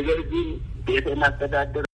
ነገር ግን የጥዕና አስተዳደር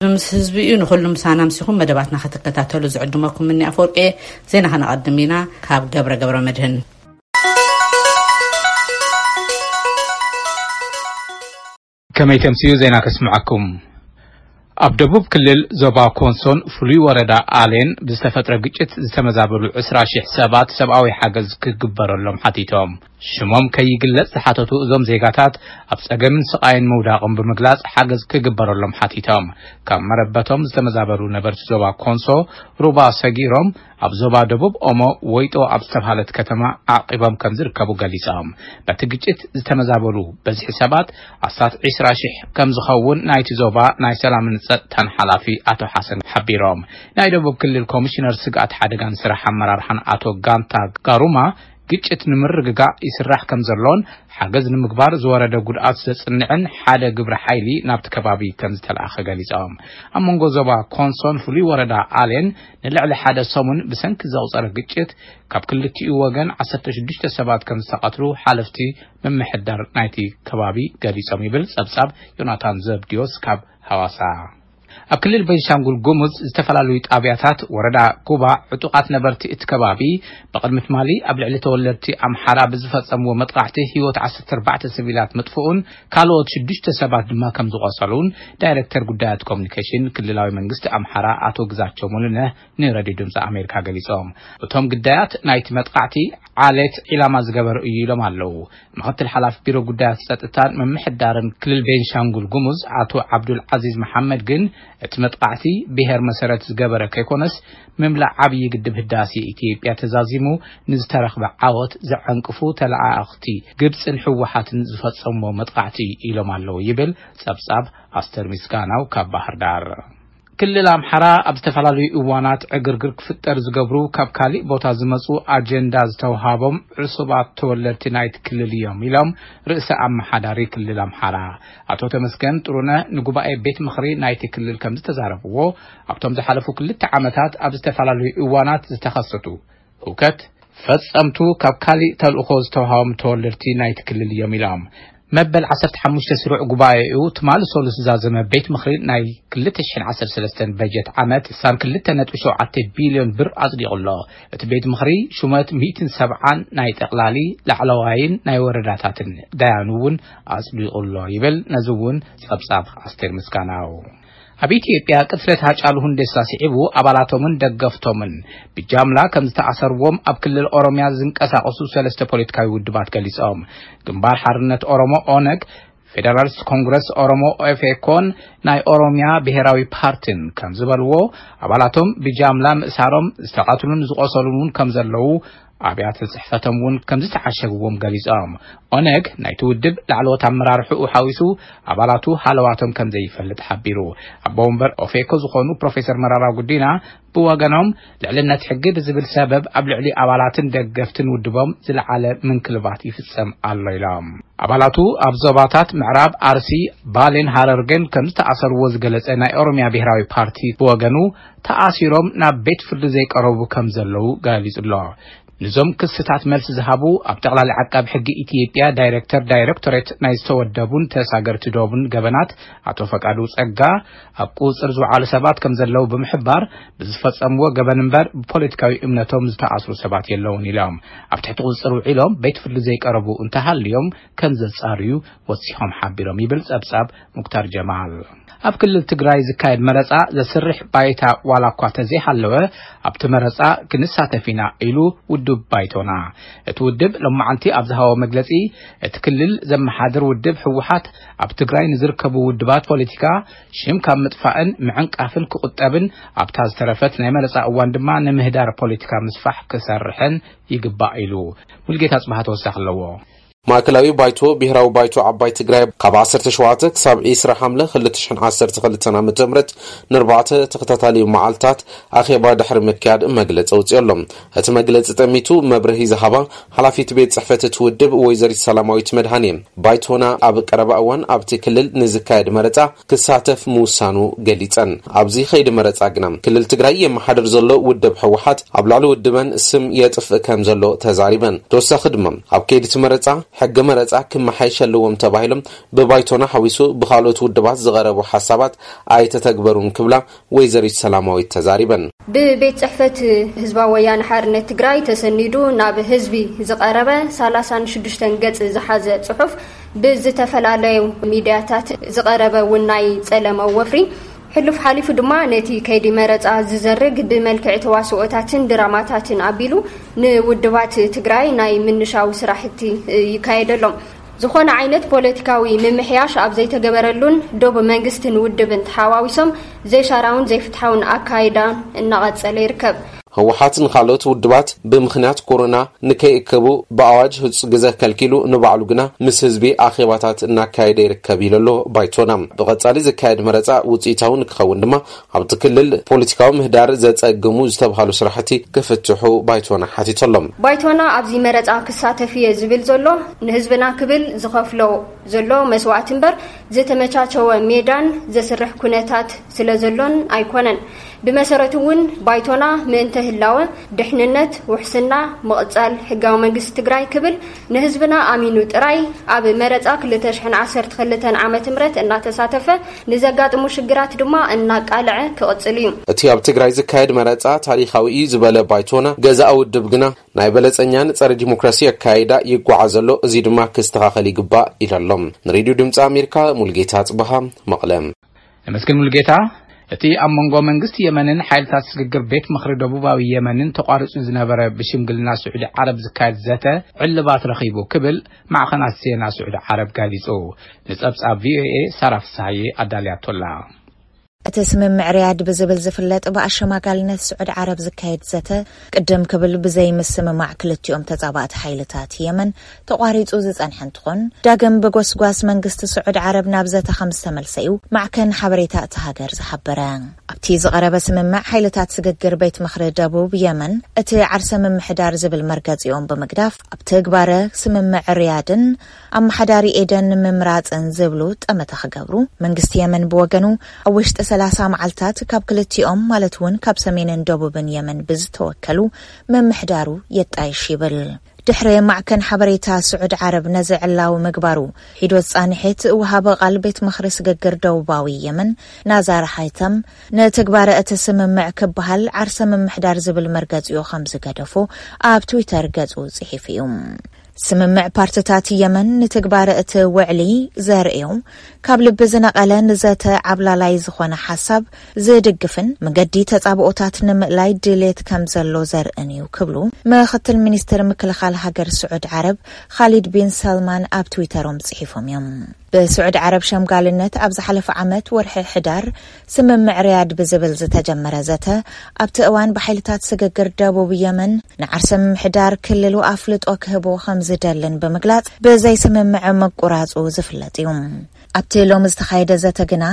ምስ ህዝቢ እዩ፣ ንኹሉ ምሳና ምሲኹም መደባትና ክትከታተሉ ዝዕድመኩም እኒ ኣፈወርቂ። ዜና ከነቐድም ኢና። ካብ ገብረ ገብረ መድህን። ከመይ ተምስዩ ዜና ከስምዓኩም። ኣብ ደቡብ ክልል ዞባ ኮንሶን ፍሉይ ወረዳ ኣሌን ብዝተፈጥረ ግጭት ዝተመዛበሉ ዕስራ ሺሕ ሰባት ሰብኣዊ ሓገዝ ክግበረሎም ሓቲቶም። ሽሞም ከይግለጽ ዝሓተቱ እዞም ዜጋታት ኣብ ጸገምን ስቓይን ምውዳቕም ብምግላጽ ሓገዝ ክግበረሎም ሓቲቶም። ካብ መረበቶም ዝተመዛበሉ ነበርቲ ዞባ ኮንሶ ሩባ ሰጊሮም ኣብ ዞባ ደቡብ ኦሞ ወይጦ ኣብ ዝተባሃለት ከተማ ዓቂቦም ከም ዝርከቡ ገሊጾም። በቲ ግጭት ዝተመዛበሉ በዝሒ ሰባት ኣስታት ዕስራ ሺሕ ከም ዝኸውን ናይቲ ዞባ ናይ ሰላምን ጸጥታን ሓላፊ ኣቶ ሓሰን ሓቢሮም። ናይ ደቡብ ክልል ኮሚሽነር ስግኣት ሓደጋን ስራሕ ኣመራርሓን ኣቶ ጋንታ ጋሩማ ግጭት ንምርግጋእ ይስራሕ ከም ዘሎን ሓገዝ ንምግባር ዝወረደ ጉድኣት ዘጽንዕን ሓደ ግብረ ሓይሊ ናብቲ ከባቢ ከም ዝተላእኸ ገሊጾም። ኣብ መንጎ ዞባ ኮንሶን ፍሉይ ወረዳ ኣሌን ንልዕሊ ሓደ ሰሙን ብሰንኪ ዘቑጸረ ግጭት ካብ ክልቲኡ ወገን ዓሰርተ ሽዱሽተ ሰባት ከም ዝተቐትሉ ሓለፍቲ ምምሕዳር ናይቲ ከባቢ ገሊጾም ይብል ጸብጻብ ዮናታን ዘብድዮስ ካብ ሃዋሳ። ኣብ ክልል ቤንሻንጉል ጉሙዝ ዝተፈላለዩ ጣብያታት ወረዳ ኩባ ዕጡቓት ነበርቲ እቲ ከባቢ ብቕድሚ ትማሊ ኣብ ልዕሊ ተወለድቲ ኣምሓራ ብዝፈጸምዎ መጥቃዕቲ ህይወት ዓሰርተ ኣርባዕተ ሲቪላት ምጥፍኡን ካልኦት ሽዱሽተ ሰባት ድማ ከም ዝቖሰሉን ዳይሬክተር ጉዳያት ኮሚኒኬሽን ክልላዊ መንግስቲ ኣምሓራ ኣቶ ግዛቸው ሙሉነህ ንሬድዮ ድምፂ ኣሜሪካ ገሊጾም። እቶም ግዳያት ናይቲ መጥቃዕቲ ዓሌት ዒላማ ዝገበሩ እዩ ኢሎም ኣለዉ። ምኽትል ሓላፊ ቢሮ ጉዳያት ጸጥታን ምምሕዳርን ክልል ቤንሻንጉል ጉሙዝ ኣቶ ዓብዱል ዓዚዝ መሓመድ ግን እቲ መጥቃዕቲ ብሄር መሰረት ዝገበረ ከይኮነስ ምምላእ ዓብዪ ግድብ ህዳሴ ኢትዮጵያ ተዛዚሙ ንዝተረኽበ ዓወት ዘዐንቅፉ ተለኣኣኽቲ ግብፅን ህወሓትን ዝፈጸምዎ መጥቃዕቲ ኢሎም ኣለዉ ይብል ጸብጻብ ኣስተር ምስጋናው ካብ ባህር ዳር። ክልል ኣምሓራ ኣብ ዝተፈላለዩ እዋናት ዕግርግር ክፍጠር ዝገብሩ ካብ ካሊእ ቦታ ዝመፁ ኣጀንዳ ዝተውሃቦም ዕሱባት ተወለድቲ ናይቲ ክልል እዮም ኢሎም ርእሰ ኣመሓዳሪ ክልል ኣምሓራ ኣቶ ተመስገን ጥሩነህ ንጉባኤ ቤት ምኽሪ ናይቲ ክልል ከም ዝተዛረብዎ ኣብቶም ዝሓለፉ ክልተ ዓመታት ኣብ ዝተፈላለዩ እዋናት ዝተኸሰቱ ህውከት ፈጸምቱ ካብ ካሊእ ተልእኾ ዝተውሃቦም ተወለድቲ ናይቲ ክልል እዮም ኢሎም። መበል ዓሰርተ ሓሙሽተ ስሩዕ ጉባኤኡ ትማሊ ሰሉስ ዝዛዘመ ቤት ምኽሪ ናይ ክልተ ሽሕን ዓሰርተ ሰለስተን በጀት ዓመት ስሳን ክልተ ነጥቢ ሸውዓተ ቢልዮን ብር ኣጽዲቑ ኣሎ። እቲ ቤት ምኽሪ ሹመት ሚእትን ሰብዓን ናይ ጠቕላሊ ላዕለዋይን ናይ ወረዳታትን ዳያኑ እውን ኣጽዲቑ ኣሎ ይብል። ነዚ እውን ጸብጻብ ኣስቴር ምስጋናው። ኣብ ኢትዮጵያ ቅትለት ሃጫሉ ሁንዴሳ ስዒቡ ኣባላቶምን ደገፍቶምን ብጃምላ ከም ዝተኣሰርዎም ኣብ ክልል ኦሮሚያ ዝንቀሳቐሱ ሰለስተ ፖለቲካዊ ውድባት ገሊጾም። ግንባር ሓርነት ኦሮሞ ኦነግ፣ ፌደራሊስት ኮንግረስ ኦሮሞ ኦፌኮን ናይ ኦሮሚያ ብሔራዊ ፓርቲን ከም ዝበልዎ ኣባላቶም ብጃምላ ምእሳሮም ዝተቐትሉን ዝቖሰሉን እውን ከም ዘለዉ ኣብያተ ጽሕፈቶም እውን ከም ዝተዓሸግዎም ገሊጾም። ኦነግ ናይቲ ውድብ ላዕለዎት ኣመራርሕኡ ሓዊሱ ኣባላቱ ሃለዋቶም ከም ዘይፈልጥ ሓቢሩ። ኣቦ ወንበር ኦፌኮ ዝኾኑ ፕሮፌሰር መራራ ጉዲና ብወገኖም ልዕልነት ሕጊ ብዝብል ሰበብ ኣብ ልዕሊ ኣባላትን ደገፍትን ውድቦም ዝለዓለ ምንክልባት ይፍጸም ኣሎ ኢሎም። ኣባላቱ ኣብ ዞባታት ምዕራብ ኣርሲ፣ ባሌን ሃረርጌን ከም ዝተኣሰርዎ ዝገለጸ ናይ ኦሮሚያ ብሔራዊ ፓርቲ ብወገኑ ተኣሲሮም ናብ ቤት ፍርዲ ዘይቀረቡ ከም ዘለዉ ገሊጹ ኣሎ። ንዞም ክስታት መልሲ ዝሃቡ ኣብ ጠቕላሊ ዓቃቢ ሕጊ ኢትዮጵያ ዳይሬክተር ዳይሬክቶሬት ናይ ዝተወደቡን ተሳገርቲ ዶብን ገበናት ኣቶ ፈቃዱ ጸጋ ኣብ ቁጽር ዝወዓሉ ሰባት ከም ዘለዉ ብምሕባር ብዝፈጸምዎ ገበን እምበር ብፖለቲካዊ እምነቶም ዝተኣስሩ ሰባት የለውን ኢሎም። ኣብ ትሕቲ ቁጽር ውዒሎም ቤት ፍርዲ ዘይቀረቡ እንተሃልዮም ከም ዘጻርዩ ወሲኾም ሓቢሮም ይብል ጸብጻብ ሙክታር ጀማል። ኣብ ክልል ትግራይ ዝካየድ መረፃ ዘስርሕ ባይታ ዋላ እኳ ተዘይሃለወ፣ ኣብቲ መረፃ ክንሳተፍ ኢና ኢሉ ውድብ ባይቶና። እቲ ውድብ ሎማዓንቲ ኣብ ዝሃቦ መግለፂ፣ እቲ ክልል ዘመሓድር ውድብ ህወሓት ኣብ ትግራይ ንዝርከቡ ውድባት ፖለቲካ ሽም ካብ ምጥፋእን ምዕንቃፍን ክቑጠብን፣ ኣብታ ዝተረፈት ናይ መረፃ እዋን ድማ ንምህዳር ፖለቲካ ምስፋሕ ክሰርሕን ይግባእ ኢሉ። ሙልጌታ ጽባህ ተወሳኺ ኣለዎ። ማእከላዊ ባይቶ ብሄራዊ ባይቶ ዓባይ ትግራይ ካብ ዓሰርተ ሸውዓተ ክሳብ ዕስራ ሓምለ ክልተ ሽሕን ዓሰርተ ክልተን ዓመተ ምህረት ንኣርባዕተ ተኸታታሊ መዓልታት ኣኼባ ድሕሪ ምክያድ መግለጺ ኣውጺኡ ኣሎ። እቲ መግለጺ ጠሚቱ መብርሂ ዝሃባ ሓላፊት ቤት ጽሕፈት እቲ ውድብ ወይዘሪት ሰላማዊት መድሃኔ፣ ባይቶና ኣብ ቀረባ እዋን ኣብቲ ክልል ንዝካየድ መረጻ ክሳተፍ ምውሳኑ ገሊጸን። ኣብዚ ኸይዲ መረጻ ግና ክልል ትግራይ የመሓድር ዘሎ ውድብ ህወሓት ኣብ ልዕሊ ውድበን ስም የጥፍእ ከም ዘሎ ተዛሪበን። ተወሳኺ ድማ ኣብ ከይዲ እቲ መረጻ ሕጊ መረጻ ክመሓየሽ ኣለዎም ተባሂሎም ብባይቶና ሓዊሱ ብኻልኦት ውድባት ዝቐረቡ ሓሳባት ኣይተተግበሩን ክብላ ወይዘሪት ሰላማዊት ተዛሪበን። ብቤት ጽሕፈት ህዝባዊ ወያነ ሓርነት ትግራይ ተሰኒዱ ናብ ህዝቢ ዝቐረበ ሰላሳን ሽዱሽተን ገጽ ዝሓዘ ጽሑፍ ብዝተፈላለዩ ሚድያታት ዝቐረበ እውን ናይ ጸለመ ወፍሪ፣ ሕሉፍ ሓሊፉ ድማ ነቲ ከይዲ መረጻ ዝዘርግ ብመልክዕ ተዋስኦታትን ድራማታትን ኣቢሉ ንውድባት ትግራይ ናይ ምንሻው ስራሕቲ ይካየደሎም። ዝኾነ ዓይነት ፖለቲካዊ ምምሕያሽ ኣብ ዘይተገበረሉን ዶብ መንግስትን ውድብን ተሓዋዊሶም ዘይሻራውን ዘይፍትሓውን ኣካይዳ እናቐጸለ ይርከብ። ህወሓት ንኻልኦት ውድባት ብምኽንያት ኮሮና ንከይእከቡ ብኣዋጅ ህጹጽ ግዘ ከልኪሉ፣ ንባዕሉ ግና ምስ ህዝቢ ኣኼባታት እናካየደ ይርከብ ኢሉ ኣሎ ባይቶና። ብቐጻሊ ዝካየድ መረጻ ውጽኢታዊ ንክኸውን ድማ ኣብቲ ክልል ፖለቲካዊ ምህዳር ዘጸግሙ ዝተባሃሉ ስራሕቲ ክፍትሑ ባይቶና ሓቲቱ ኣሎ። ባይቶና ኣብዚ መረጻ ክሳተፍ እየ ዝብል ዘሎ ንህዝብና ክብል ዝኸፍሎ ዘሎ መስዋእቲ እምበር ዝተመቻቸወ ሜዳን ዘስርሕ ኩነታት ስለ ዘሎን ኣይኮነን። ብመሰረቱ እውን ባይቶና ምእንተ ህላወ፣ ድሕንነት፣ ውሕስና፣ ምቕጻል ሕጋዊ መንግስቲ ትግራይ ክብል ንህዝብና ኣሚኑ ጥራይ ኣብ መረጻ ክልተ ሽሕን ዓሰርተ ክልተን ዓመተ ምህረት እናተሳተፈ ንዘጋጥሙ ሽግራት ድማ እናቃልዐ ክቕጽል እዩ። እቲ ኣብ ትግራይ ዝካየድ መረጻ ታሪኻዊ እዩ ዝበለ ባይቶና፣ ገዛኢ ውድብ ግና ናይ በለጸኛን ጸረ ዲሞክራሲ ኣካይዳ ይጓዓዝ ኣሎ፣ እዚ ድማ ክስተኻኸል ይግባእ ኢሉ ኣሎ። ንሬድዮ ድምጺ ኣሜሪካ ሙልጌታ ጽበሃ፣ መቐለ። ነመስግን ሙልጌታ። እቲ ኣብ መንጎ መንግስቲ የመንን ሓይልታት ስግግር ቤት ምኽሪ ደቡባዊ የመንን ተቋሪጹ ዝነበረ ብሽምግልና ስዑዲ ዓረብ ዝካየድ ዘተ ዕልባት ረኺቡ ክብል ማዕኸናት ዜና ስዑዲ ዓረብ ገሊጹ። ንጸብጻብ ቪኦኤ ሳራ ፍስሃዬ ኣዳልያቶላ። እቲ ስምምዕ ሪያድ ብዝብል ዝፍለጥ ብኣሸማጋልነት ስዑዲ ዓረብ ዝካየድ ዘተ ቅድም ክብል ብዘይ ምስምማዕ ክልቲኦም ተጻባእቲ ሓይልታት የመን ተቋሪጹ ዝጸንሐ እንትኾን፣ ዳግም ብጎስጓስ መንግስቲ ስዑዲ ዓረብ ናብ ዘተ ከም ዝተመልሰ እዩ ማዕከን ሓበሬታ እታ ሃገር ዝሓበረ። ኣብቲ ዝቐረበ ስምምዕ ሓይልታት ስግግር ቤት ምኽሪ ደቡብ የመን እቲ ዓርሰ ምምሕዳር ዝብል መርገጺኦም ብምግዳፍ ኣብ ትግባረ ስምምዕ ሪያድን ኣመሓዳሪ ኤደን ምምራጽን ዝብሉ ጠመተ ክገብሩ፣ መንግስቲ የመን ብወገኑ ኣብ ውሽጢ ሰላሳ መዓልታት ካብ ክልቲኦም ማለት እውን ካብ ሰሜንን ደቡብን የመን ብዝተወከሉ ምምሕዳሩ የጣይሽ ይብል። ድሕሪ ማዕከን ሓበሬታ ስዑድ ዓረብ ነዚ ዕላዊ ምግባሩ፣ ሒዶ ዝጻንሐት ወሃቢ ቃል ቤት ምኽሪ ስግግር ደቡባዊ የመን ናዛር ሃይተም፣ ንትግባረ እቲ ስምምዕ ክበሃል ዓርሰ ምምሕዳር ዝብል መርገጺኡ ከም ዝገደፎ ኣብ ትዊተር ገጹ ጽሒፉ እዩ። ስምምዕ ፓርትታት የመን ንትግባረ እቲ ውዕሊ ዘርእዮ፣ ካብ ልቢ ዝነቐለ ንዘተ ዓብላላይ ዝኾነ ሓሳብ ዝድግፍን መገዲ ተጻብኦታት ንምእላይ ድሌት ከም ዘሎ ዘርእን እዩ ክብሉ ምኽትል ሚኒስትር ምክልኻል ሃገር ስዑድ ዓረብ ኻሊድ ቢን ሰልማን ኣብ ትዊተሮም ጽሒፎም እዮም። ብስዑድ ዓረብ ሸምጋልነት ኣብ ዝሓለፈ ዓመት ወርሒ ሕዳር ስምምዕ ሪያድ ብዝብል ዝተጀመረ ዘተ፣ ኣብቲ እዋን ብሓይልታት ስግግር ደቡብ የመን ንዓርሰ ምምሕዳር ክልሉ ኣፍልጦ ክህቦ ከም ዝደልን ብምግላጽ ብዘይ ስምምዕ ምቁራጹ ዝፍለጥ እዩ። ኣብቲ ሎሚ ዝተኻየደ ዘተ ግና፣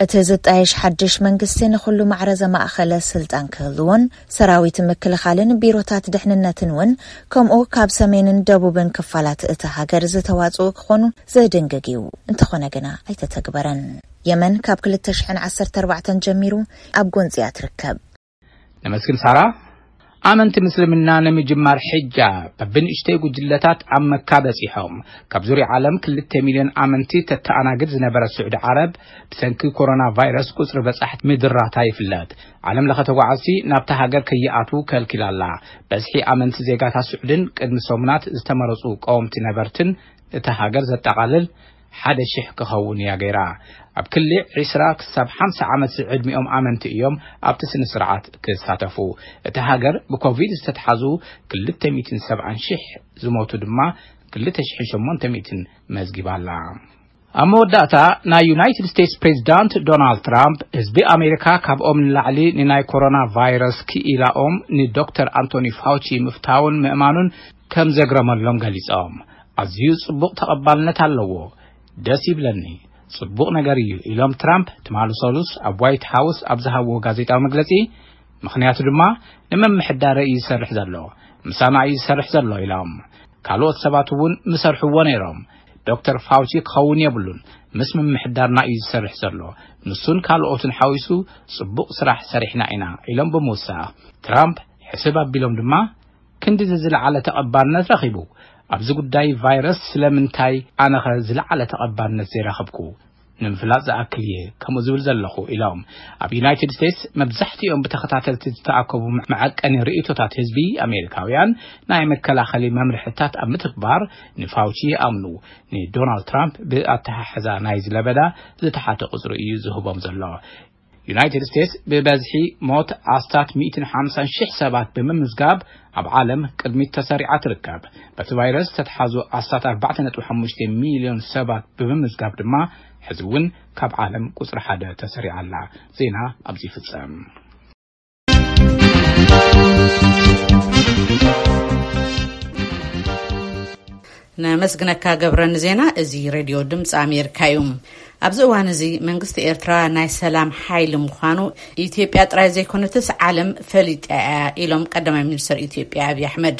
እቲ ዝጣየሽ ሓድሽ መንግስቲ ንኹሉ ማዕረ ዘማእኸለ ስልጣን ክህልዎን፣ ሰራዊት ምክልኻልን ቢሮታት ድሕንነትን እውን ከምኡ ካብ ሰሜንን ደቡብን ክፋላት እታ ሃገር ዝተዋጽኡ ክኾኑ ዝድንግግ እዩ። እንተኾነ ግና ኣይተተግበረን። የመን ካብ ክልተ ሽሕን ዓሰርተ ኣርባዕተን ጀሚሩ ኣብ ጎንጺ እያ ትርከብ። ነመስግን ሳራ። ኣመንቲ ምስልምና ንምጅማር ሕጃ በብንእሽተይ ጉጅለታት ኣብ መካ በጺሖም። ካብ ዙርያ ዓለም ክልተ ሚልዮን ኣመንቲ ተተኣናግድ ዝነበረት ስዑዲ ዓረብ፣ ብሰንኪ ኮሮና ቫይረስ ቁጽሪ በጻሕቲ ምድራታ ይፍለጥ። ዓለም ለኸ ተጓዓዝቲ ናብታ ሃገር ከይኣትዉ ከልኪላ ኣላ። በዝሒ ኣመንቲ ዜጋታት ስዑድን ቅድሚ ሰሙናት ዝተመረጹ ቀወምቲ ነበርትን እታ ሃገር ዘጠቓልል ሓደ ሽሕ ክኸውን እያ ገይራ። ኣብ ክሊ ዕስራ ክሳብ ሓምሳ ዓመት ዝዕድሚኦም ኣመንቲ እዮም ኣብቲ ስነ ስርዓት ክሳተፉ። እቲ ሃገር ብኮቪድ ዝተትሓዙ ክልተ ሚእትን ሰብዓን ሽሕ፣ ዝሞቱ ድማ ክልተ ሽሕን ሸሞንተ ሚእትን መዝጊባ ኣላ። ኣብ መወዳእታ፣ ናይ ዩናይትድ ስቴትስ ፕሬዚዳንት ዶናልድ ትራምፕ ህዝቢ ኣሜሪካ ካብኦም ንላዕሊ ንናይ ኮሮና ቫይረስ ክኢላኦም ንዶክተር ኣንቶኒ ፋውቺ ምፍታውን ምእማኑን ከም ዘግረመሎም ገሊጾም። ኣዝዩ ጽቡቕ ተቐባልነት ኣለዎ፣ ደስ ይብለኒ፣ ጽቡቕ ነገር እዩ ኢሎም ትራምፕ ትማሊ ሰሉስ ኣብ ዋይት ሃውስ ኣብ ዝሃብዎ ጋዜጣዊ መግለጺ። ምኽንያቱ ድማ ንምምሕዳረ እዩ ዝሰርሕ ዘሎ፣ ምሳና እዩ ዝሰርሕ ዘሎ ኢሎም። ካልኦት ሰባት እውን ምሰርሕዎ ነይሮም። ዶክተር ፋውቺ ክኸውን የብሉን፣ ምስ ምምሕዳርና እዩ ዝሰርሕ ዘሎ። ንሱን ካልኦትን ሓዊሱ ጽቡቕ ስራሕ ሰሪሕና ኢና ኢሎም ብምውሳኽ፣ ትራምፕ ሕስብ ኣቢሎም ድማ ክንድዚ ዝለዓለ ተቐባልነት ረኺቡ፣ ኣብዚ ጉዳይ ቫይረስ ስለምንታይ ኣነኸ ዝለዓለ ተቐባልነት ዘይረኸብኩ? ንምፍላጥ ዝኣክል እየ ከምኡ ዝብል ዘለኹ ኢሎም። ኣብ ዩናይትድ ስቴትስ መብዛሕትኦም ብተኸታተልቲ ዝተኣከቡ መዐቀኒ ርእይቶታት ህዝቢ ኣሜሪካውያን ናይ መከላኸሊ መምርሕታት ኣብ ምትግባር ንፋውቺ ይኣምኑ። ንዶናልድ ትራምፕ ብኣተሓሕዛ ናይ ዝለበዳ ዝተሓተ ቁፅሪ እዩ ዝህቦም ዘሎ። ዩናይትድ ስቴትስ ብበዝሒ ሞት ኣስታት ሚእትን ሓምሳን ሽሕ ሰባት ብምምዝጋብ ኣብ ዓለም ቅድሚት ተሰሪዓ ትርከብ። በቲ ቫይረስ ዝተትሓዙ ኣስታት ኣርባዕተ ነጥቢ ሓሙሽተ ሚልዮን ሰባት ብምምዝጋብ ድማ ሕዚ እውን ካብ ዓለም ቁፅሪ ሓደ ተሰሪዓ ኣላ። ዜና ኣብዚ ይፍጸም። ነመስግነካ ገብረ ንዜና። እዚ ሬድዮ ድምፂ ኣሜሪካ እዩ። ኣብዚ እዋን እዚ መንግስቲ ኤርትራ ናይ ሰላም ሓይሊ ምዃኑ ኢትዮጵያ ጥራይ ዘይኮነትስ ዓለም ፈሊጣ እያ ኢሎም ቀዳማይ ሚኒስትር ኢትዮጵያ ኣብይ ኣሕመድ።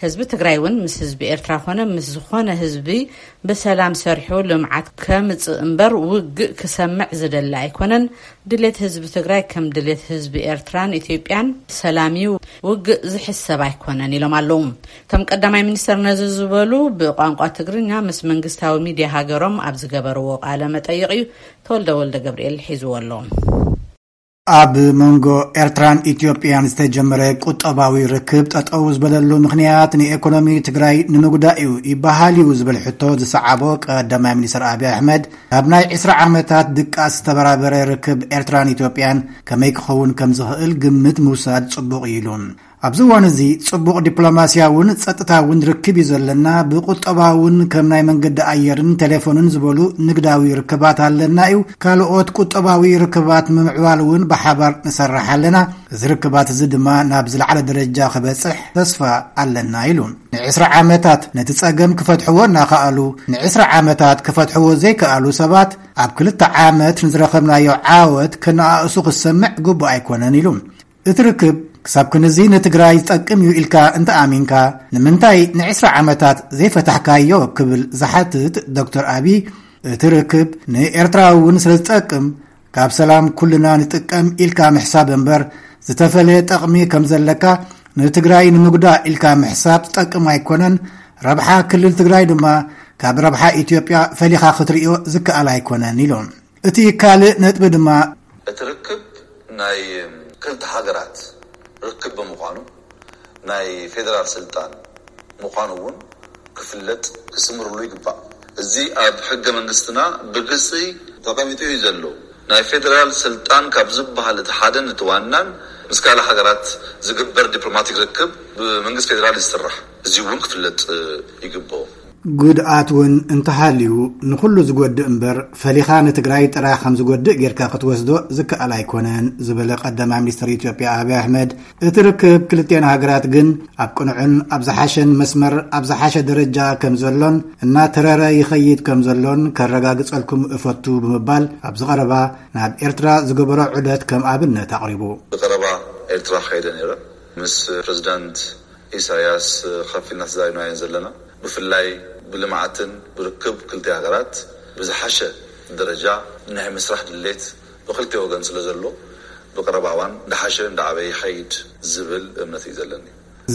ህዝቢ ትግራይ እውን ምስ ህዝቢ ኤርትራ ኮነ ምስ ዝኾነ ህዝቢ ብሰላም ሰሪሑ ልምዓት ከምፅእ እምበር ውግእ ክሰምዕ ዝደሊ ኣይኮነን። ድሌት ህዝቢ ትግራይ ከም ድሌት ህዝቢ ኤርትራን ኢትዮጵያን ሰላም እዩ፣ ውግእ ዝሕሰብ ኣይኮነን ኢሎም ኣለዉ። እቶም ቀዳማይ ሚኒስትር ነዚ ዝበሉ ብቋንቋ ትግርኛ ምስ መንግስታዊ ሚድያ ሃገሮም ኣብ ዝገበርዎ ቃለ መጠይቕ እዩ። ተወልደ ወልደ ገብርኤል ሒዝዎ ኣሎ። ኣብ መንጎ ኤርትራን ኢትዮጵያን ዝተጀመረ ቁጠባዊ ርክብ ጠጠው ዝበለሉ ምኽንያት ንኤኮኖሚ ትግራይ ንምጉዳእ እዩ ይበሃል እዩ ዝብል ሕቶ ዝሰዓቦ ቀዳማይ ሚኒስትር ኣብይ ኣሕመድ፣ ኣብ ናይ ዕስራ ዓመታት ድቃስ ዝተበራበረ ርክብ ኤርትራን ኢትዮጵያን ከመይ ክኸውን ከም ዝኽእል ግምት ምውሳድ ጽቡቕ እዩ ኢሉ። ኣብዚ እዋን እዚ ጽቡቕ ዲፕሎማስያውን ጸጥታውን ርክብ እዩ ዘለና። ብቁጠባውን ከም ናይ መንገዲ ኣየርን ቴሌፎንን ዝበሉ ንግዳዊ ርክባት ኣለና እዩ። ካልኦት ቁጠባዊ ርክባት ምምዕባል እውን ብሓባር ንሰርሕ ኣለና። እዚ ርክባት እዚ ድማ ናብ ዝለዓለ ደረጃ ክበጽሕ ተስፋ ኣለና ኢሉ። ንዕስራ ዓመታት ነቲ ጸገም ክፈትሕዎ እናኸኣሉ፣ ንዕስራ ዓመታት ክፈትሕዎ ዘይከኣሉ ሰባት ኣብ ክልተ ዓመት ንዝረኸብናዮ ዓወት ከነኣእሱ ክሰምዕ ግቡእ ኣይኮነን ኢሉ። እቲ ርክብ ክሳብ ክንዚ ንትግራይ ዝጠቅም እዩ ኢልካ እንተኣሚንካ፣ ንምንታይ ንዕስራ ዓመታት ዘይፈታሕካዮ ክብል ዝሓትት ዶክተር ኣብይ፣ እቲ ርክብ ንኤርትራ እውን ስለ ዝጠቅም፣ ካብ ሰላም ኩልና ንጥቀም ኢልካ ምሕሳብ እምበር፣ ዝተፈለየ ጠቕሚ ከም ዘለካ ንትግራይ ንምጉዳእ ኢልካ ምሕሳብ ዝጠቅም ኣይኮነን። ረብሓ ክልል ትግራይ ድማ ካብ ረብሓ ኢትዮጵያ ፈሊኻ ክትርእዮ ዝከኣል ኣይኮነን ኢሉ። እቲ ካልእ ነጥቢ ድማ እቲ ርክብ ናይ ክልተ ሃገራት ርክብ ብምዃኑ፣ ናይ ፌደራል ስልጣን ምዃኑ እውን ክፍለጥ ክስምርሉ ይግባእ። እዚ ኣብ ሕገ መንግስትና ብግልፂ ተቐሚጡ እዩ ዘሎ። ናይ ፌደራል ስልጣን ካብ ዝበሃል እቲ ሓደን እቲ ዋናን ምስ ካልእ ሃገራት ዝግበር ዲፕሎማቲክ ርክብ ብመንግስቲ ፌደራል እዩ ዝስራሕ። እዚ እውን ክፍለጥ ይግብኦ። ጉድኣት እውን እንተሃልዩ ንኹሉ ዝጎድእ እምበር፣ ፈሊኻ ንትግራይ ጥራሕ ከም ዝጎድእ ጌርካ ክትወስዶ ዝከኣል ኣይኮነን ዝበለ ቀዳማይ ሚኒስትር ኢትዮጵያ ኣብይ ኣሕመድ፣ እቲ ርክብ ክልቲኤን ሃገራት ግን ኣብ ቅኑዕን ኣብ ዝሓሸን መስመር ኣብ ዝሓሸ ደረጃ ከም ዘሎን እናተረረ ይኸይድ ከም ዘሎን ከረጋግጸልኩም እፈቱ ብምባል፣ ኣብዚ ቀረባ ናብ ኤርትራ ዝገበሮ ዑደት ከም ኣብነት ኣቕሪቡ። ብቐረባ ኤርትራ ከይደ ነይረ። ምስ ፕሬዚዳንት ኢሳያስ ከፊልና ተዛሪብና እየን ዘለና። ብፍላይ ብልምዓትን ብርክብ ክልተ ሃገራት ብዝሓሸ ደረጃ ናይ ምስራሕ ድሌት ብክልተ ወገን ስለ ዘሎ፣ ብቀረባ እዋን እንዳሓሸ እንዳዓበየ ይኸይድ ዝብል እምነት እዩ ዘለኒ።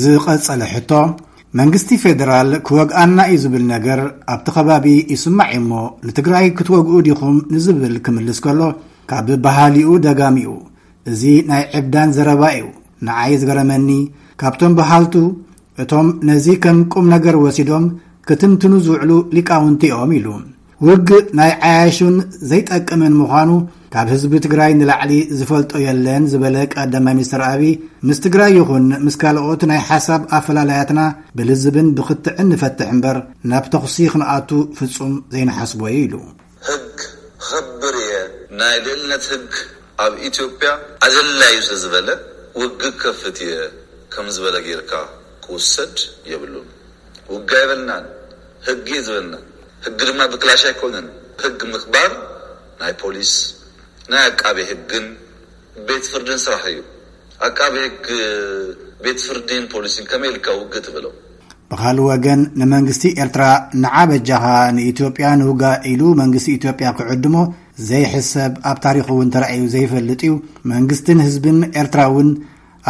ዝቐጸለ ሕቶ፣ መንግስቲ ፌደራል ክወግኣና እዩ ዝብል ነገር ኣብቲ ከባቢ ይስማዕ እዩ እሞ፣ ንትግራይ ክትወግኡ ዲኹም ንዝብል ክምልስ ከሎ፣ ካብ በሃሊኡ ደጋሚኡ፣ እዚ ናይ ዕብዳን ዘረባ እዩ። ንዓይ ዝገረመኒ፣ ካብቶም በሃልቱ፣ እቶም ነዚ ከም ቁም ነገር ወሲዶም ክትንትኑ ዝውዕሉ ሊቃውንቲ እዮም ኢሉ። ውግእ ናይ ዓያሹን ዘይጠቅምን ምዃኑ ካብ ህዝቢ ትግራይ ንላዕሊ ዝፈልጦ የለን ዝበለ ቀዳማይ ሚኒስትር ኣብይ፣ ምስ ትግራይ ይኹን ምስ ካልኦት ናይ ሓሳብ ኣፈላላያትና ብልዝብን ብክትዕን ንፈትሕ እምበር ናብ ተኹሲ ክንኣቱ ፍጹም ዘይንሓስቦ እዩ ኢሉ። ህግ ኸብር እየ፣ ናይ ልዕልነት ህግ ኣብ ኢትዮጵያ ኣደላዩ ስለ ዝበለ ውግእ ከፍት እየ ከም ዝበለ ጌርካ ክውሰድ የብሉን። ውግእ ኣይበልናን፣ ህግ እየ ዝበልና። ህግ ድማ ብክላሽ ኣይኮነን። ህግ ምኽባር ናይ ፖሊስ፣ ናይ ኣቃቤ ህግን ቤት ፍርድን ስራሕ እዩ። ኣቃቤ ህግ፣ ቤት ፍርድን ፖሊስን ከመይ ኢልካ ውግእ ትብሎ? ብኻልእ ወገን ንመንግስቲ ኤርትራ ንዓ በጃኻ ንኢትዮጵያ ንውጋእ ኢሉ መንግስቲ ኢትዮጵያ ክዕድሞ ዘይሕሰብ፣ ኣብ ታሪኹ እውን ተራእዩ ዘይፈልጥ እዩ። መንግስትን ህዝብን ኤርትራ እውን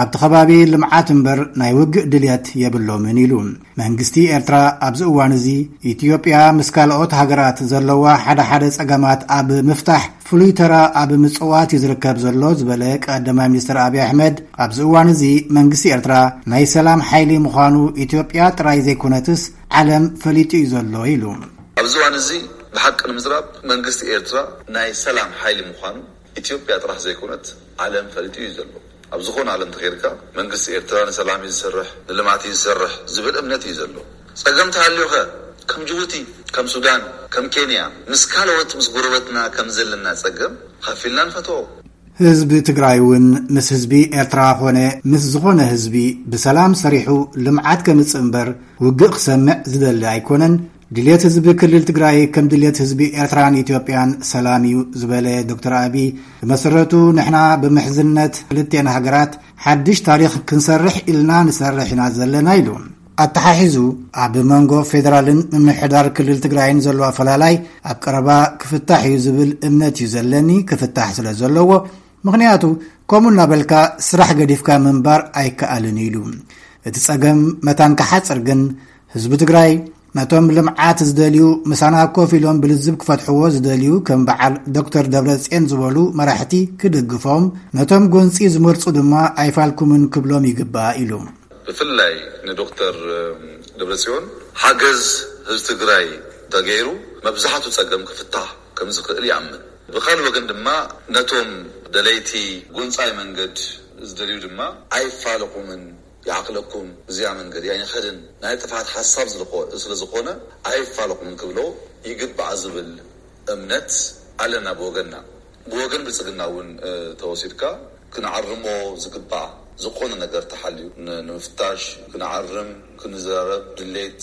ኣብቲ ከባቢ ልምዓት እምበር ናይ ውግእ ድልየት የብሎምን ኢሉ። መንግስቲ ኤርትራ ኣብዚ እዋን እዚ ኢትዮጵያ ምስ ካልኦት ሃገራት ዘለዋ ሓደ ሓደ ጸገማት ኣብ ምፍታሕ ፍሉይ ተራ ኣብ ምጽዋት እዩ ዝርከብ ዘሎ ዝበለ ቀዳማይ ሚኒስትር ኣብይ ኣሕመድ፣ ኣብዚ እዋን እዚ መንግስቲ ኤርትራ ናይ ሰላም ሓይሊ ምዃኑ ኢትዮጵያ ጥራይ ዘይኮነትስ ዓለም ፈሊጡ እዩ ዘሎ ኢሉ። ኣብዚ እዋን እዚ ብሓቂ ንምዝራብ መንግስቲ ኤርትራ ናይ ሰላም ሓይሊ ምዃኑ ኢትዮጵያ ጥራሕ ዘይኮነት ዓለም ፈሊጡ እዩ ዘሎ። ኣብ ዝኾነ ዓለም ተኸይድካ መንግስቲ ኤርትራ ንሰላም እዩ ዝሰርሕ፣ ንልምዓት እዩ ዝሰርሕ ዝብል እምነት እዩ ዘሎ። ጸገም ተሃልዩኸ ከም ጅቡቲ፣ ከም ሱዳን፣ ከም ኬንያ ምስ ካልኦት ምስ ጎረበትና ከም ዘለና ጸገም ኻፊልና ንፈትዎ። ህዝቢ ትግራይ እውን ምስ ህዝቢ ኤርትራ ኾነ ምስ ዝኾነ ህዝቢ ብሰላም ሰሪሑ ልምዓት ከምጽእ እምበር ውግእ ክሰምዕ ዝደሊ ኣይኮነን። ድልየት ህዝቢ ክልል ትግራይ ከም ድልየት ህዝቢ ኤርትራን ኢትዮጵያን ሰላም እዩ ዝበለ ዶክተር ኣብይ፣ ብመሰረቱ ንሕና ብምሕዝነት ክልቴን ሃገራት ሓድሽ ታሪኽ ክንሰርሕ ኢልና ንሰርሕ ኢና ዘለና ኢሉ። ኣተሓሒዙ ኣብ መንጎ ፌደራልን ምምሕዳር ክልል ትግራይን ዘሎ ኣፈላላይ ኣብ ቀረባ ክፍታሕ እዩ ዝብል እምነት እዩ ዘለኒ፣ ክፍታሕ ስለ ዘለዎ፣ ምኽንያቱ ከምኡ እናበልካ ስራሕ ገዲፍካ ምንባር ኣይከኣልን ኢሉ። እቲ ጸገም መታን ክሓጽር ግን ህዝቢ ትግራይ ነቶም ልምዓት ዝደልዩ ምሳና ኮፍ ኢሎም ብልዝብ ክፈትሕዎ ዝደልዩ ከም በዓል ዶክተር ደብረጽዮን ዝበሉ መራሕቲ ክድግፎም፣ ነቶም ጎንጺ ዝመርጹ ድማ ኣይፋልኩምን ክብሎም ይግባእ ኢሉ። ብፍላይ ንዶክተር ደብረጽዮን ሓገዝ ህዝቢ ትግራይ ተገይሩ መብዛሕቱ ጸገም ክፍታሕ ከም ዝኽእል ይኣምን። ብኻልእ ወገን ድማ ነቶም ደለይቲ ጎንጻይ መንገድ ዝደልዩ ድማ ኣይፋለኹምን፣ ይዓቕለኩም፣ እዚኣ መንገድ ኣይንኸድን፣ ናይ ጥፍኣት ሓሳብ ዝልኮ-፣ ስለ ዝኾነ ኣይፋለኹምን ክብሎ ይግባእ ዝብል እምነት ኣለና ብወገንና። ብወገን ብልጽግና እውን፣ እ፣ ተወሲድካ ክንዓርሞ ዝግባእ ዝኾነ ነገር ተሓልዩ ን-፣ ንምፍታሽ ክንዓርም ክንዘራረብ ድሌት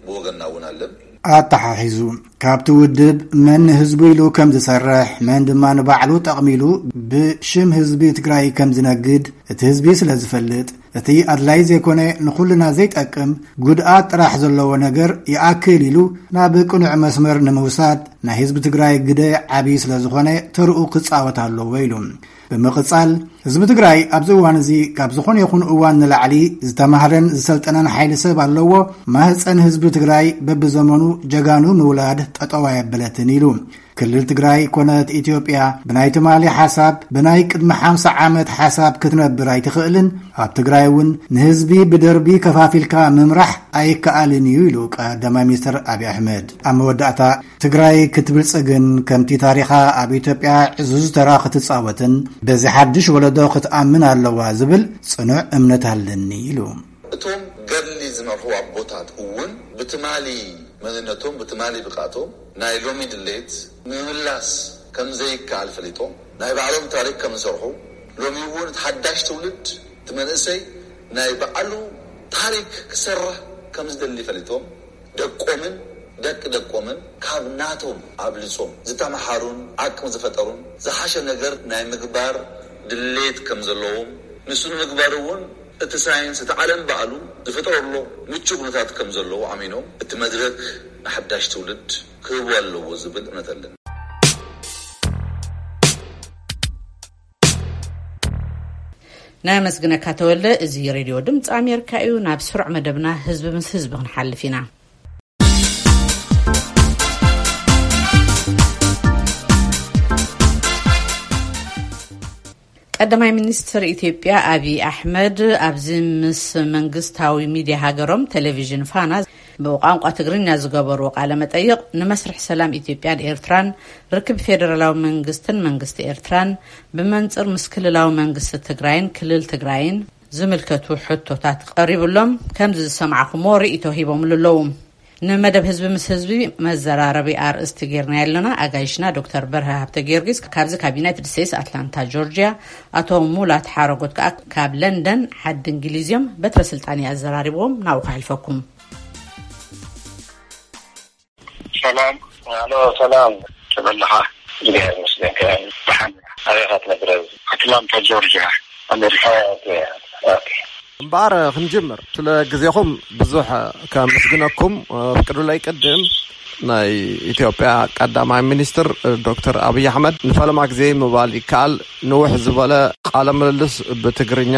ብወገንና እውን ኣለን። ኣተሓሒዙ፣ ካብቲ ውድብ መን ንህዝቡ ኢሉ ከም ዝሰርሕ፣ መን ድማ ንባዕሉ ጠቕሚ ኢሉ ብሽም ህዝቢ ትግራይ ከም ዝነግድ እቲ ህዝቢ ስለ ዝፈልጥ፣ እቲ ኣድላይ ዘይኮነ ንኹልና ዘይጠቅም ጉድኣት ጥራሕ ዘለዎ ነገር ይኣክል ኢሉ ናብ ቅኑዕ መስመር ንምውሳድ ናይ ህዝቢ ትግራይ ግደ ዓብዪ ስለ ዝኾነ ተርኡ ክጻወት ኣለዎ ኢሉ። ብምቕጻል፣ ህዝቢ ትግራይ ኣብዚ እዋን እዚ ካብ ዝኾነ ይኹን እዋን ንላዕሊ ዝተማህረን ዝሰልጠነን ሓይሊ ሰብ ኣለዎ። ማህፀን ህዝቢ ትግራይ በብዘመኑ ጀጋኑ ምውላድ ጠጠው ኣየበለትን ኢሉ። ክልል ትግራይ ኮነት ኢትዮጵያ ብናይ ትማሊ ሓሳብ፣ ብናይ ቅድሚ ሓምሳ ዓመት ሓሳብ ክትነብር ኣይትኽእልን። ኣብ ትግራይ እውን ንህዝቢ ብደርቢ ከፋፊልካ ምምራሕ ኣይከኣልን እዩ ኢሉ ቀዳማይ ሚኒስትር ኣብይ ኣሕመድ። ኣብ መወዳእታ ትግራይ ክትብልጽግን ከምቲ ታሪኻ ኣብ ኢትዮጵያ ዕዙዝ ተራ ክትጻወትን በዚ ሓድሽ ወለዶ ክትኣምን ኣለዋ ዝብል ጽኑዕ እምነት ኣለኒ ኢሉ። እቶም ገድሊ ዝመርሑ ኣቦታት እውን ብትማሊ መንነቶም፣ ብትማሊ ብቕዓቶም ናይ ሎሚ ድሌት ንምምላስ ከም ዘይከኣል ፈሊጦም ናይ ባዕሎም ታሪክ ከም ዝሰርሑ፣ ሎሚ እውን እቲ ሓዳሽ ትውልድ፣ እቲ መንእሰይ ናይ ባዕሉ ታሪክ ክሰርሕ ከም ዝደሊ ፈሊጦም፣ ደቆምን ደቂ ደቆምን ካብ ናቶም ኣብልጾም ዝተመሓሩን ዓቅሚ ዝፈጠሩን ዝሓሸ ነገር ናይ ምግባር ድሌት ከም ዘለዎም፣ ንሱ ንምግባር እውን እቲ ሳይንስ፣ እቲ ዓለም ባዕሉ ዝፈጠረሎ ምቹእ ኩነታት ከም ዘለዎ ኣሚኖም፣ እቲ መድረክ ንሓዳሽ ትውልድ ክህቡ ኣለዎ ዝብል እምነት ኣለኒ። ነመስግነካ ተወልደ። እዚ ሬድዮ ድምፂ ኣሜሪካ እዩ። ናብ ስሩዕ መደብና ህዝቢ ምስ ህዝቢ ክንሓልፍ ኢና። ቀዳማይ ሚኒስትር ኢትዮጵያ ኣብይ ኣሕመድ ኣብዚ ምስ መንግስታዊ ሚድያ ሃገሮም ቴሌቪዥን ፋና ብቋንቋ ትግርኛ ዝገበርዎ ቃለ መጠይቕ፣ ንመስርሕ ሰላም ኢትዮጵያን ኤርትራን፣ ርክብ ፌደራላዊ መንግስትን መንግስቲ ኤርትራን፣ ብመንጽር ምስ ክልላዊ መንግስቲ ትግራይን ክልል ትግራይን ዝምልከቱ ሕቶታት ቀሪቡሎም፣ ከምዚ ዝሰማዕኹምዎ ርእይቶ ሂቦምሉ ኣለዉ። ንመደብ ህዝቢ ምስ ህዝቢ መዘራረቢ ኣርእስቲ ጌርና ያለና ኣጋይሽና ዶክተር በርሀ ሃብተ ጊዮርጊስ ካብዚ ካብ ዩናይትድ ስቴትስ ኣትላንታ ጆርጂያ፣ ኣቶ ሙላት ሓረጎት ከኣ ካብ ለንደን ዓዲ እንግሊዝ እዮም። በትረ ስልጣን ኣዘራሪብዎም ናብኡ ከሕልፈኩም። ሰላም። ኣሎ፣ ሰላም። ተበላኻ። እግዚኣብሔር ይመስገን። ከ ደሓን። ኣበይ ኢኻ ትነብር? ኣትላንታ ጆርጂያ፣ ኣሜሪካ። ኦኬ፣ ኦኬ። እምበኣር ክንጅምር፣ ስለ ግዜኹም ብዙሕ ከመስግነኩም ፍቅዱለይ። ቅድም ናይ ኢትዮጵያ ቀዳማይ ሚኒስትር ዶክተር ኣብይ ኣሕመድ ንፈለማ ግዜ ምባል ይከኣል፣ ንውሕ ዝበለ ቃለ ምልልስ ብትግርኛ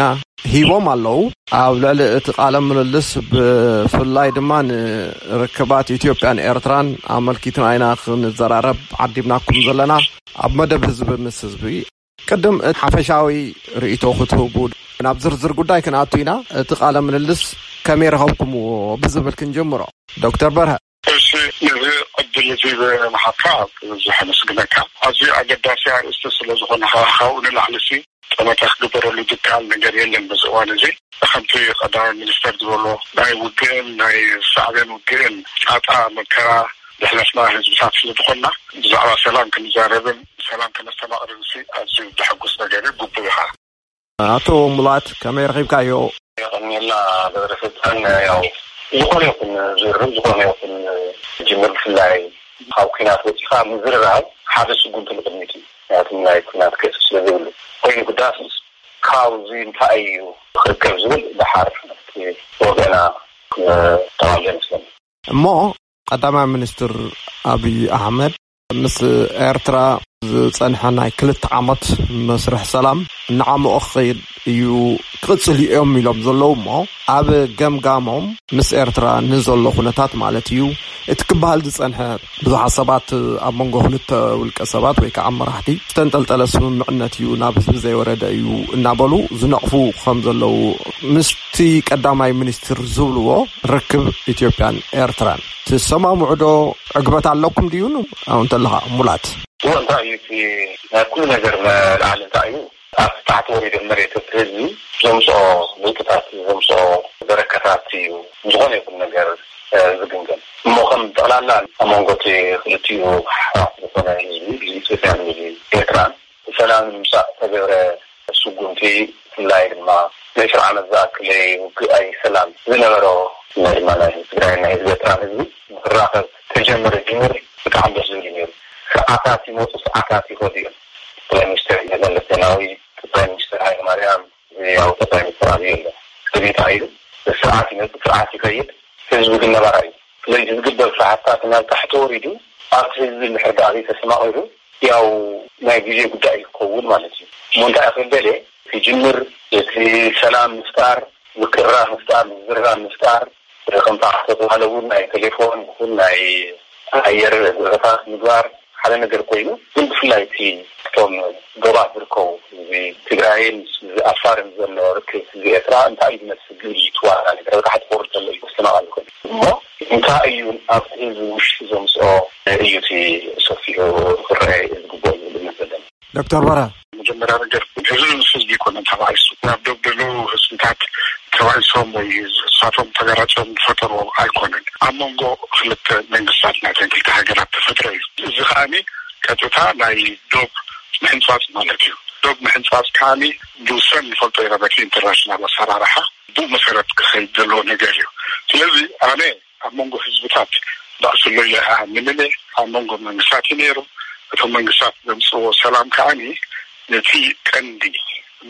ሂቦም ኣለዉ። ኣብ ልዕሊ እቲ ቃለ ምልልስ፣ ብፍላይ ድማ ንርክባት ኢትዮጵያን ኤርትራን ኣመልኪትና ኢና ክንዘራረብ ዓዲምናኩም ዘለና። ኣብ መደብ ህዝቢ ምስ ህዝቢ፣ ቅድም እቲ ሓፈሻዊ ርእይቶ ክትህቡ፣ ናብ ዝርዝር ጉዳይ ክንኣቱ ኢና። እቲ ቃለ ምልልስ ከመይ ረኸብኩምዎ ብዝብል ክንጀምሮ። ዶክተር በርሀ። እሺ፣ ነዚ ዕድል እዚ ብምሃብካ ብዙሕ ኣመስግነካ። ኣዝዩ ኣገዳሲ ኣርእስቲ ስለ ዝኾነ፣ ካብኡ ንላዕሊ ሲ ጠመተ ክግበረሉ ዝከኣል ነገር የለን። በዚ እዋን እዚ፣ ከምቲ ቀዳማይ ሚኒስተር ዝበሎ፣ ናይ ውግእን ናይ ሳዕቤን ውግእን ጣጣ መከራ ዘሕለፍና ህዝብታት ስለ ዝኾንና፣ ብዛዕባ ሰላም ክንዛረብን ሰላም ከነስተማቕርን ሲ ኣዝዩ ዘሐጉስ ነገር እዩ። ግቡእ ኢኻ። ኣቶ ሙላት፣ ከመይ ረኺብካዮ? የቐንየልና ገብረ ስልጣን። ያው፣ ዝኾነ ይኹን ዝርርብ፣ ዝኾነ ይኹን ጅምር፣ ብፍላይ ካብ ኲናት ወፂኻ ምዝርራብ ሓደ ስጉምቲ ንቕድሚት እዩ። ምክንያቱ ናይ ኲናት ገፅ ስለ ዘይብሉ። ኮይኑ ግዳስስ ካብዚ እንታይ እዩ ክርከብ ዝብል ደሓር ኣብቲ ወገና ክተዋለ ይመስለኒ። እሞ ቀዳማይ ሚኒስትር ኣብይ ኣሕመድ ምስ ኤርትራ ዝጸንሐ ናይ ክልተ ዓመት መስርሕ ሰላም እናዓመቖ ክኸይድ እዩ፣ ክቕጽል እዮም ኢሎም ዘለዉ። እሞ ኣብ ገምጋሞም፣ ምስ ኤርትራ ንዘሎ ኩነታት ማለት እዩ፣ እቲ ክበሃል ዝጸንሐ ብዙሓት ሰባት ኣብ መንጎ ክልተ ውልቀ ሰባት ወይ ከዓ መራሕቲ ዝተንጠልጠለ ስምምዕነት እዩ፣ ናብ ህዝቢ ዘይወረደ እዩ እናበሉ ዝነቕፉ ከም ዘለዉ፣ ምስቲ ቀዳማይ ሚኒስትር ዝብልዎ ርክብ ኢትዮጵያን ኤርትራን ትሰማምዑ ዶ? ዕግበት ኣለኩም ድዩ? ን-፣ ኣብኡ እንተለኻ ሙላት። እዎ፣ እንታይ እዩ እቲ ናይ ኩሉ ነገር መልዓሊ እንታይ እዩ? ኣብ ታሕቲ ወሪዶም መሬት እቲ ህዝቢ ዘምፅኦ ለውጥታት፣ ዘምፅኦ በረከታት እዩ ዝኾነ ይኹን ነገር፣ እ፣ ዝግምገም። እሞ ከም ጠቕላላ ኣብ መንጎ እቲ ክልቲኡ ሓፋት ዝኾነ ህዝቢ፣ ህዝቢ ኢትዮጵያን ህዝቢ ኤርትራን፣ ሰላም ንምምፃእ ዝተገብረ ስጉምቲ፣ ብፍላይ ድማ ንዕስራ ዓመት ዝኣክል ውግእ ኣይ ሰላም ዝነበሮ፣ ብፍላይ ድማ ናይ ትግራይ ናይ ህዝቢ ኤርትራን ህዝቢ ክራኸብ ተጀመረ ጅምር ብጣዕሚ ደስ ዝብል እዩ ነይሩ። ስርዓታት ይመፁ፣ ስርዓታት ይኸዱ እዮም። ጠቅላይ ሚኒስትር መለስ ዜናዊ፣ ጠቅላይ ሚኒስትር ሃይለማርያም፣ ያው ጠቅላይ ሚኒስትር ኣብይ ኣሎ። እዚ እንታይ ኢሉ? ስርዓት ይመፅእ፣ ስርዓት ይኸይድ፣ ህዝቢ ግን ነባራይ እዩ። ስለዚህ ዝግበር ስርዓትታት ናብ ታሕቲ ወሪዱ ኣብቲ ህዝቢ እንድሕር ደኣ ዘይተሰማቒሩ፣ ያው ናይ ግዜ ጉዳይ እዩ ክኸውን ማለት እዩ። እሞ እንታይ ክብል ደልየ፣ ክጅምር እቲ ሰላም ምፍጣር፣ ምቅርራብ ምፍጣር፣ ምዝርራብ ምፍጣር፣ ከምቲ ዝተባህለ እውን ናይ ቴሌፎን ይኹን ናይ ኣየር በረራታት ምግባር ሓደ ነገር ኮይኑ፣ ግን ብፍላይ እቲ እቶም ዶባት ዝርከቡ፣ እዚ ትግራይን እዚ ኣፋርን ዘሎ ርክብ፣ እዚ ኤርትራ እንታይ እዩ ዝመስል ዝብል እዩ እቲ ዋና ነገር። ኣብ ታሕቲ ክወርድ ከሎ እዩ ክስተማቐል ዝኽእል። እሞ እንታይ እዩ ኣብቲ ህዝቢ ውሽጢ ዘምፅኦ እዩ እቲ ሰፊሑ ክረአ ዝግብኦ ዝብል እምነት ዘለኒ። ዶክተር በርሀ። መጀመርያ ነገር፣ ህዝቢ ምስ ህዝቢ ኣይኮነን ተባኢሱ። ናብ ዶብ ዘለዉ ህዝብታት ተባኢሶም ወይ እሳቶም ተጋራጭዮም ዝፈጠርዎ ኣይኮነን። ኣብ መንጎ ክልተ መንግስታት ናተን ክልተ ሃገራት ተፈጥረ እዩ። እዚ ከኣኒ ቀጥታ ናይ ዶብ ምሕንጻጽ ማለት እዩ። ዶብ ምሕንጻጽ ከኣኒ ብውሰን ንፈልጦ ኢና በቲ ኢንተርናሽናል ኣሰራርሓ፣ ብኡ መሰረት ክኸይድ ዘለዎ ነገር እዩ። ስለዚ ኣነ ኣብ መንጎ ህዝብታት ባእሲ ኣሎ ኢለ ኣይኣምንን እየ። ኣብ መንጎ መንግስታት እዩ ነይሩ። እቶም መንግስታት ዘምፅዎ ሰላም ከዓኒ ነቲ ቀንዲ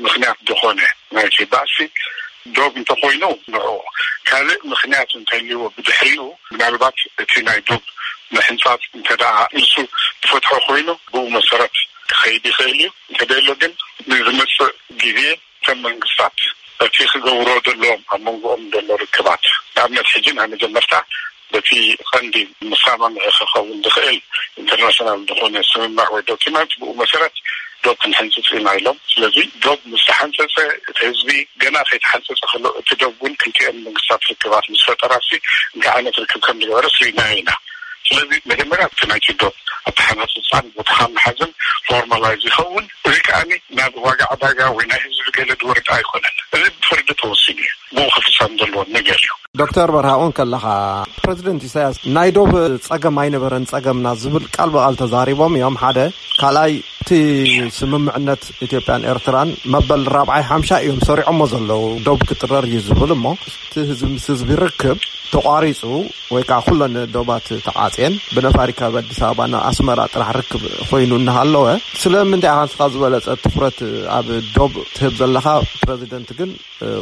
ምኽንያት ዝኾነ ናይቲ ባእሲ ዶብ እንተኾይኑ ንዑ፣ ካልእ ምኽንያት እንተልይዎ ብድሕሪኡ ምናልባት እቲ ናይ ዶብ ምሕንጻጽ እንተ ደኣ ንሱ ዝፈትሖ ኮይኑ ብኡ መሰረት ክኸይድ ይኽእል እዩ። እንተደሎ ግን ንዝመፅእ ግዜ እተን መንግስታት እቲ ክገብሮ ዘለዎም ኣብ መንጎኦም ዘሎ ርክባት፣ ንኣብነት ሕጂ ናይ መጀመርታ በቲ ቀንዲ መሰማምዒ ክኸውን ዝኽእል ኢንተርናሽናል ዝኾነ ስምምዕ ወይ ዶኪመንት ብኡ መሰረት ዶብ ክንሕንፅፅ ኢና ኢሎም። ስለዚ ዶብ ምስ ተሓንፀፀ እቲ ህዝቢ ገና ከይተሓንፀፀ ከሎ እቲ ዶብ እውን ክልቲኦም መንግስታት ርክባት ምስ ፈጠራሲ እንታይ ዓይነት ርክብ ከም ዝገበረስ ርኢናዮ ኢና። ስለዚ መጀመርያ እቲ ናይቲ ዶብ ኣተሓናፅፃን ቦታኻ ምሓዝን ፎርማላይዝ ይኸውን። እዚ ከዓኒ ናብ ዋጋ ዕዳጋ ወይ ናይ ህዝቢ ገለ ዝወርድ ኣይኮነን። እዚ ብፍርዲ ተወሲኑ እዩ። ብኡ ክፍፀም ዘለዎ ነገር እዩ። ዶክተር በርሃ እውን ከለኻ ፕረዚደንት ኢሳያስ ናይ ዶብ ጸገም ኣይነበረን ጸገምና ዝብል ቃል ብቓል ተዛሪቦም እዮም። ሓደ ካልኣይ እቲ ስምምዕነት ኢትዮጵያን ኤርትራን መበል ራብዓይ ሓምሻ እዮም ሰሪዖሞ ዘለዉ። ዶብ ክጥረር እዩ ዝብል እሞ እቲ ህዝቢ ምስ ህዝቢ ርክብ ተቋሪጹ ወይ ከዓ ኩለን ዶባት ተዓጽየን ብነፋሪት ካብ ኣዲስ ኣበባ ናብ ኣስመራ ጥራሕ ርክብ ኮይኑ እናሃለወ ስለምንታይ ኢኻ ንስኻ ዝበለጸ ትኹረት ኣብ ዶብ ትህብ ዘለኻ? ፕረዚደንት ግን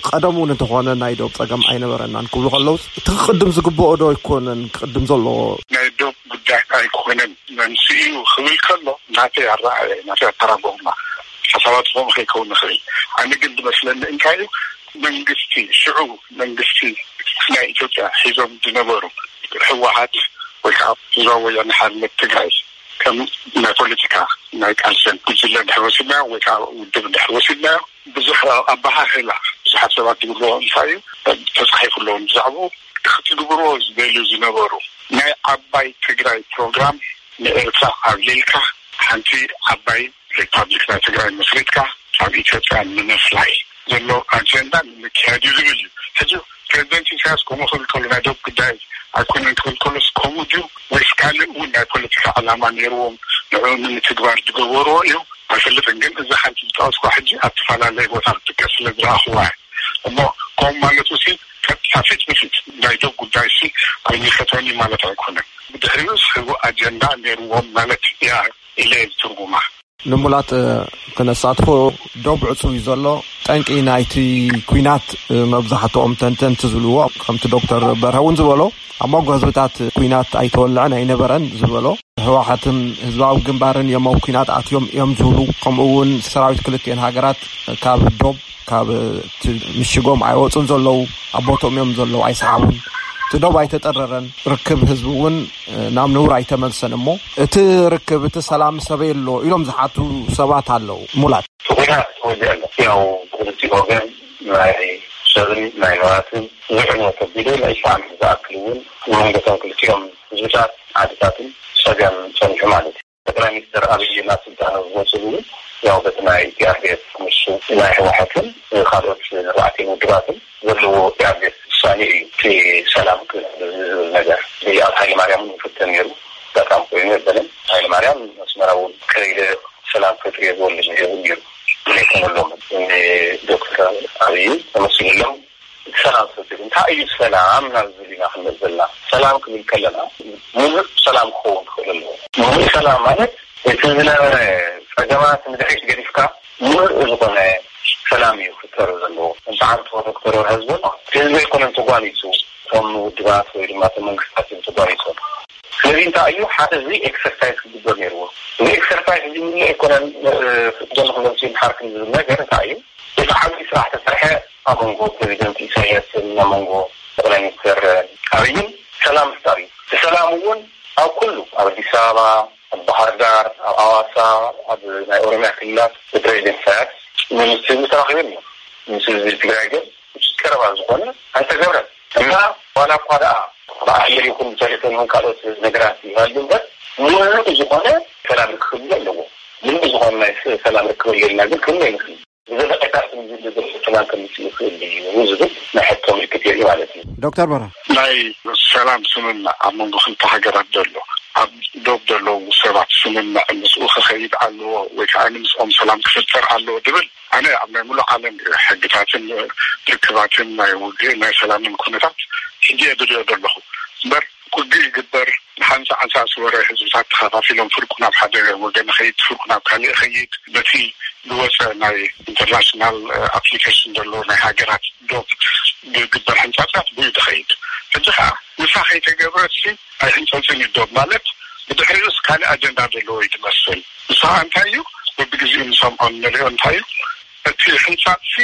ቀደም እውን እንተኾነ ናይ ዶብ ጸገም ኣይነበረናን ክብሉ ከለውስ እቲ ክቅድም ዝግብኦ ዶ ኣይኮነን ክቅድም ዘለዎ? ናይ ዶብ ጉዳይ ኣይኮነን መንስኡ ክብል ከሎ ናተይ ኣረኣእያ ናተይ ኣተራጎማ ሓሳባት ዝኾኑ ከይከውን ንኽእል። ኣነ ግን ዝመስለኒ እንታይ እዩ መንግስቲ ሽዑ መንግስቲ ናይ ኢትዮጵያ ሒዞም ዝነበሩ ህወሓት ወይ ከዓ ህዝባዊ ወያነ ሓርነት ትግራይ ከም ናይ ፖለቲካ ናይ ቃልሰን ጉጅለ እንድሕር ወሲድናዮ ወይ ከዓ ውድብ እንድሕር ወሲድናዮ ብዙሕ ኣበሃህላ ብዙሓት ሰባት ዝብልዎ እንታይ እዩ ተፃሒፉ ኣለዎ ብዛዕባኡ ክትግብርዎ ዝደልዩ ዝነበሩ ናይ ዓባይ ትግራይ ፕሮግራም ንኤርትራ ኣብሊልካ ሓንቲ ዓባይ ሪፓብሊክ ናይ ትግራይ መስሪትካ ካብ ኢትዮጵያ ንምፍላይ ዘሎ ኣጀንዳ ንምክያድ እዩ ዝብል እዩ። ሕጂ ፕሬዚደንት ኢሳያስ ከምኡ ክብል ከሎ ናይ ዶብ ጉዳይ ኣይኮነን ክብል ከሎስ ከምኡ ድዩ ወይስ ካልእ እውን ናይ ፖለቲካ ዕላማ ነይርዎም ንዕኡ ንምትግባር ዝገበርዎ እዩ ኣይፈልጥን። ግን እዛ ሓንቲ ዝጠቐስኳ ሕጂ ኣብ ተፈላለየ ቦታ ክትጥቀስ ስለ ዝረኣኽዋ እየ። እሞ ከምኡ ማለቱ ሲ ቀጥታ ፊት ንፊት ናይ ዶብ ጉዳይ ሲ ኣይምልከተኒ ማለት ኣይኮነን። ብድሕሪኡ ዝህቡ ኣጀንዳ ነይርዎም ማለት እያ ኢለ እየ ዝትርጉማ። ንሙላት ክነሳትፎ ዶብ ዕጹው እዩ ዘሎ። ጠንቂ ናይቲ ኲናት መብዛሕትኦም ተንተንቲ ዝብልዎ ከምቲ ዶክተር በርሀ እውን ዝበሎ ኣብ መንጎ ህዝብታት ኲናት ኣይተወልዐን ኣይነበረን ዝበሎ ህወሓትን ህዝባዊ ግንባርን እዮም ኣብ ኲናት ኣትዮም እዮም ዝብሉ። ከምኡ እውን ሰራዊት ክልቲኤን ሃገራት ካብ ዶብ ካብ እቲ ምሽጎም ኣይወፁን ዘለዉ ኣብ ቦትኦም እዮም ዘለዉ ኣይሰሓቡን። እቲ ዶብ ኣይተጠረረን ርክብ ህዝቢ እውን ናብ ነውር ኣይተመልሰን እሞ እቲ ርክብ እቲ ሰላም ሰበይ ኣሎ ኢሎም ዝሓቱ ሰባት ኣለዉ። ሙላት እቲ ኩናት ተወሊዑ ኣሎ። ያው ብክልቲኡ ወገን ናይ ሰብን ናይ ንብረትን ብዙሕ ንብረት ኣቢሉ ንዒስራ ዓመት ዝኣክል እውን መንጎቶም ክልቲኦም ህዝብታት ዓድታትን ፀገም ፀኒሑ ማለት እዩ። ጠቅላይ ሚኒስትር ኣብይ ናብ ስልጣን ዝመፅሉ እውን ያው በቲ ናይ ቲኣርዲኤፍ ምስ ናይ ህወሓትን ካልኦት ኣርባዕቲን ውድባትን ዘለዎ ቲኣርዲኤፍ ውሳኔ እዩ። እቲ ሰላም ክብል ዝብል ነገር ኣብ ሃይለ ማርያም እውን ይፍተን ነይሩ። ኣጋጣሚ ኮይኑ የበለን ሃይለ ማርያም ኣስመራ እውን ከይደ ሰላም ፈጥሪ የዝበሉ ዝገቡ ነይሩ ዘይኮነሎም ዶክተር ኣብይ ተመሲሉሎም ሰላም ፈጥሪ እንታይ እዩ ሰላም ናብ ዝብል ኢና ክንመፅ ዘለና። ሰላም ክብል ከለና ሙሉእ ሰላም ክኸውን ክኽእል ኣለዎ። ሙሉእ ሰላም ማለት እቲ ዝነበረ ፀገማት ንድሕሪት ገዲፍካ ሙሉእ ዝኾነ ሰላም እዩ ክፈጠር ዘለዎ። እንተዓንቶ ዶክተር ወርሃ ዝበሎ ህዝቢ ኣይኮነን ተጓኒፁ እቶም ውድባት ወይ ድማ እቶም መንግስታት እዮም ተጓኒፆም። ስለዚ እንታይ እዩ ሓደ እዚ ኤክሰርሳይዝ ክግበር ነይርዎ። እዚ ኤክሰርሳይዝ እዚ ምንለ ኣይኮነን ዘሎ ክመፅኡ ሓርክን ዝብል ነገር እንታይ እዩ እቲ ዓብዪ ስራሕ ተሰርሐ ኣብ መንጎ ፕሬዚደንት ኢሳያስን ኣብ መንጎ ጠቅላይ ሚኒስትር ኣብይን ሰላም ምፍጣር እዩ። እቲ ሰላም እውን ኣብ ኩሉ ኣብ ኣዲስ ኣበባ ኣብ ባህር ዳር ኣብ ኣዋሳ ኣብ ናይ ኦሮሚያ ክልላት ብፕሬዚደንት ኢሳያስ ምስ ህዝቢ ተራኺቦም እዮም። ምስ ህዝቢ ትግራይ ግን ቀረባ ዝኾነ ኣይተገብረን እና ዋላ እኳ ደኣ ብኣየር ይኹን ብቴሌፎን ይኹን ካልኦት ነገራት ይሃሉ እምበር ሙሉእ ዝኾነ ሰላም ክህሉ ኣለዎ። ሙሉእ ዝኾነ ናይ ሰላም ርክብ ኣለና ግን ክህሉ ኣይንኽእል። ብዘለቀታ ሰላም ከምፅእ ይኽእል እዩ ዝብል ናይ ሕቶ ምልክት የርኢ ማለት እዩ። ዶክተር በራ ናይ ሰላም ስምምዕ ኣብ መንጎ ክልተ ሃገራት ዘሎ ኣብ ዶብ ዘለዉ ሰባት ስምምዕ ምስኡ ክኸይድ ኣለዎ ወይ ከዓ ንምስኦም ሰላም ክፍጠር ኣለዎ ድብል ኣነ ኣብ ናይ ሙሉእ ዓለም ሕግታትን ርክባትን ናይ ውግእ ናይ ሰላምን ኩነታት ሕጂ እየ ዝሪኦ ዘለኹ እምበር ውግእ ይግበር ንሓንሳ ዓንሳ ዝወረ ህዝብታት ተኸፋፊሎም ፍርቁ ናብ ሓደ ወገን ኸይድ ፍርቁ ናብ ካልእ ኸይድ በቲ ዝወፀ ናይ ኢንተርናሽናል ኣፕሊኬሽን ዘሎ ናይ ሃገራት ዶብ ዝግበር ሕንፃፃት ብኡ ዝኸይድ ሕጂ ከዓ ንሳ ከይተገብረት ኣይሕንፀፅን ይዶብ ማለት ብድሕሪኡስ ካልእ ኣጀንዳ ዘለዎ እዩ ትመስል። ንስኻ እንታይ እዩ በብግዜኡ ንሰምዖ ንሪኦ እንታይ እዩ እቲ ሕንፃፅሲ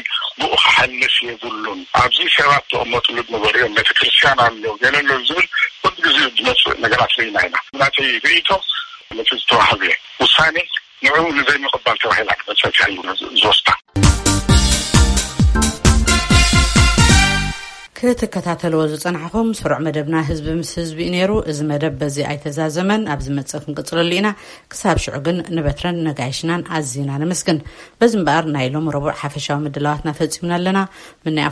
ብኡ ክሓልፍ የብሉን። ኣብዚ ሰባት ዝቕመጥሉ ዝነበሩ እዮም ቤተክርስትያን ኣሎ ገለ ኣሎ ዝብል በብግዜኡ ዝመፅእ ነገራት ርኢና ኢና። ናተይ ርእይቶ ነቲ ዝተዋህበ ውሳኔ ንዕኡ ንዘይምቕባል ተባሂላ ክትበፅሕ እያ ዝወስዳ። ክትከታተልዎ ዝጸናሕኹም ስሩዕ መደብና ህዝቢ ምስ ህዝቢ እዩ ነይሩ። እዚ መደብ በዚ ኣይተዛዘመን፣ ኣብ ዝመጽእ ክንቅጽለሉ ኢና። ክሳብ ሽዑ ግን ንበትረን ነጋይሽናን ኣዚና ነመስግን። በዚ እምበኣር ናይ ሎም ረቡዕ ሓፈሻዊ ምድላዋትና ፈጺምና ኣለና። ምናይ